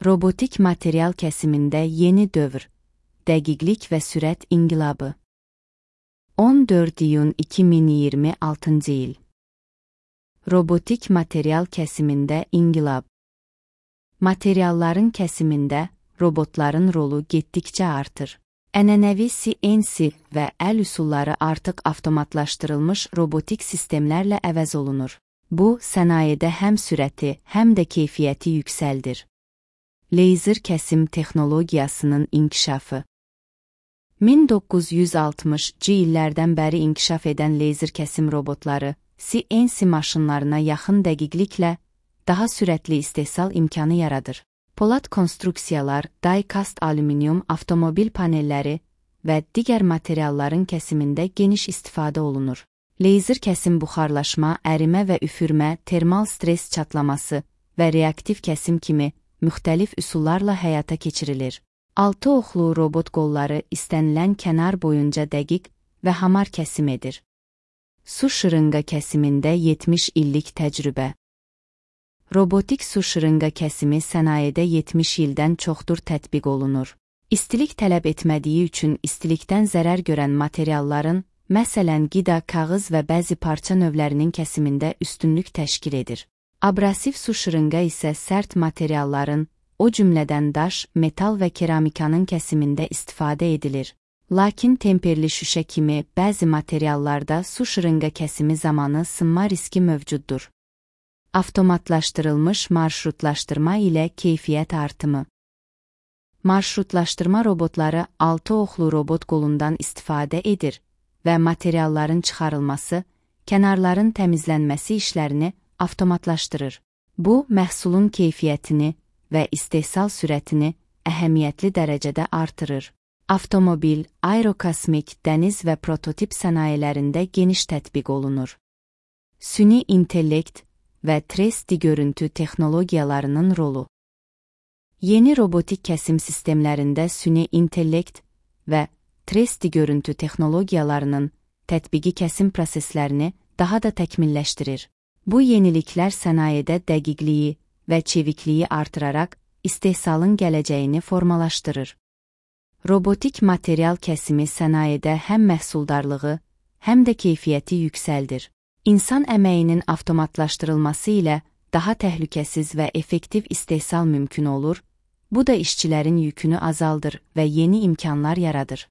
Robotik material kəsimində yeni dövr, dəqiqlik və sürət inqilabı. 14 iyun 2026 il. Robotik material kəsimində inqilab. Materialların kəsimində robotların rolu getdikcə artır. Ənənəvi CNC və əl üsulları artıq avtomatlaşdırılmış robotik sistemlərlə əvəz olunur. Bu, sənayedə həm sürəti, həm də keyfiyyəti yüksəldir. Leyzer kəsim texnologiyasının inkişafı. 1960-cı illərdən bəri inkişaf edən leyzer kəsim robotları, CNC maşınlarına yaxın dəqiqliklə daha sürətli istehsal imkanı yaradır. Polad konstruksiyalar, die-cast alüminium avtomobil panelləri və digər materialların kəsimində geniş istifadə olunur. Leyzer kəsim buxarlaşma, ərimə və üfürmə, termal stres çatlaması və reaktiv kəsim kimi müxtəlif üsullarla həyata keçirilir. 6 oxlu robot qolları istənilən kənar boyunca dəqiq və hamar kəsim edir. Su şırınqa kəsimində 70 illik təcrübə. Robotik su şırınqa kəsimi sənayedə 70 ildən çoxdur tətbiq olunur. İstilik tələb etmədiyi üçün istilikdən zərər görən materialların, məsələn qida, kağız və bəzi parça növlərinin kəsimində üstünlük təşkil edir. Abrasiv su şırınqa isə sərt materialların, o cümlədən daş, metal və keramikanın kəsimində istifadə edilir. Lakin temperli şüşə kimi bəzi materiallarda su şırınqa kəsimi zamanı sınma riski mövcuddur. Avtomatlaşdırılmış marşrutlaşdırma ilə keyfiyyət artımı. Marşrutlaşdırma robotları 6 oxlu robot qolundan istifadə edir və materialların çıxarılması, kənarların təmizlənməsi işlərini avtomatlaşdırır. Bu, məhsulun keyfiyyətini və istehsal sürətini əhəmiyyətli dərəcədə artırır. Avtomobil, aerokosmik, dəniz və prototip sənayelərində geniş tətbiq olunur. Süni intellekt və 3D görüntü texnologiyalarının rolu. Yeni robotik kəsim sistemlərində süni intellekt və 3D görüntü texnologiyalarının tətbiqi kəsim proseslərini daha da təkmilləşdirir. Bu yeniliklər sənayedə dəqiqliyi və çevikliyi artıraraq istehsalın gələcəyini formalaşdırır. Robotik material kəsimi sənayedə həm məhsuldarlığı, həm də keyfiyyəti yüksəldir. İnsan əməyinin avtomatlaşdırılması ilə daha təhlükəsiz və effektiv istehsal mümkün olur, bu da işçilərin yükünü azaldır və yeni imkanlar yaradır.